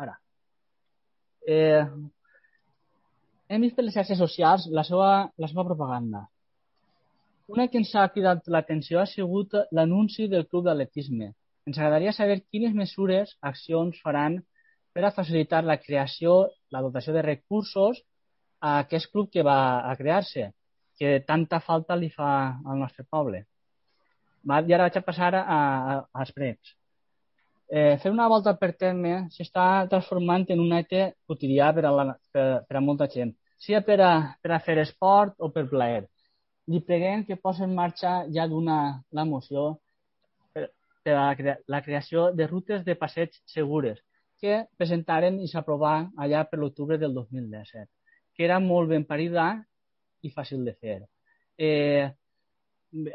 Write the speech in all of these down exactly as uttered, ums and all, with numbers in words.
Ara, eh, hem vist per les xarxes socials la seva, la seva propaganda. Una que ens ha cridat l'atenció ha sigut l'anunci del club d'atletisme. Ens agradaria saber quines mesures, accions faran per a facilitar la creació, la dotació de recursos a aquest club que va a crear-se, que tanta falta li fa al nostre poble. I ara vaig a passar a, a, als pregs. Eh, fer una volta per terme s'està transformant en un acte quotidià per a, la, per, per a molta gent, sigui per a, per a fer esport o per plaer. Li preguem que posi en marxa ja d'una la moció per, per a la, crea, la creació de rutes de passeig segures que presentaren i s'aprovà allà per l'octubre del dos mil disset, que era molt ben parida i fàcil de fer. Eh,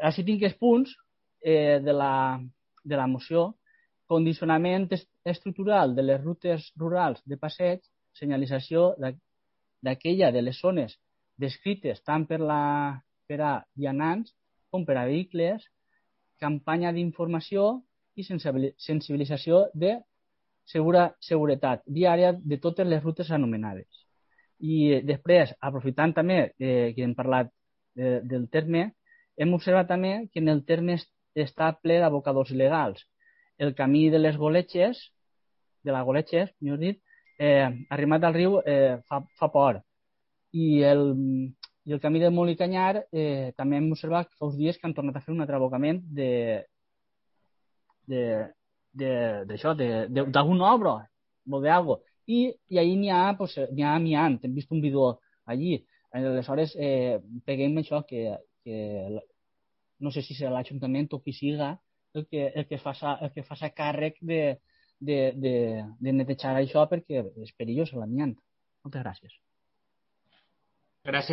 així tinc els punts eh, de, la, de la moció: condicionament estructural de les rutes rurals de passeig, senyalització d'aquella de les zones descrites tant per, la, per a vianants com per a vehicles, campanya d'informació i sensibilització de segura, seguretat viària de totes les rutes anomenades. I després, aprofitant també eh, que hem parlat de, del terme, hem observat també que en el terme està ple d'abocadors il·legals. El camí de les Goletxes, de la Goletxes, millor dit, eh, arrimat al riu eh, fa, fa por. I el, i el camí del Molí Canyar eh, també hem observat fa uns dies que han tornat a fer un altre abocament de d'això, d'alguna obra, o d'algo. I, i allí n'hi ha, pues, n'hi ha amiant, hem vist un vídeo allí. Aleshores, eh, peguem això, que, que no sé si serà l'Ajuntament o qui siga el que, el que faça, el que faça càrrec de, de, de, de netejar això, perquè és perillós l'amiant. Moltes gràcies. Gràcies.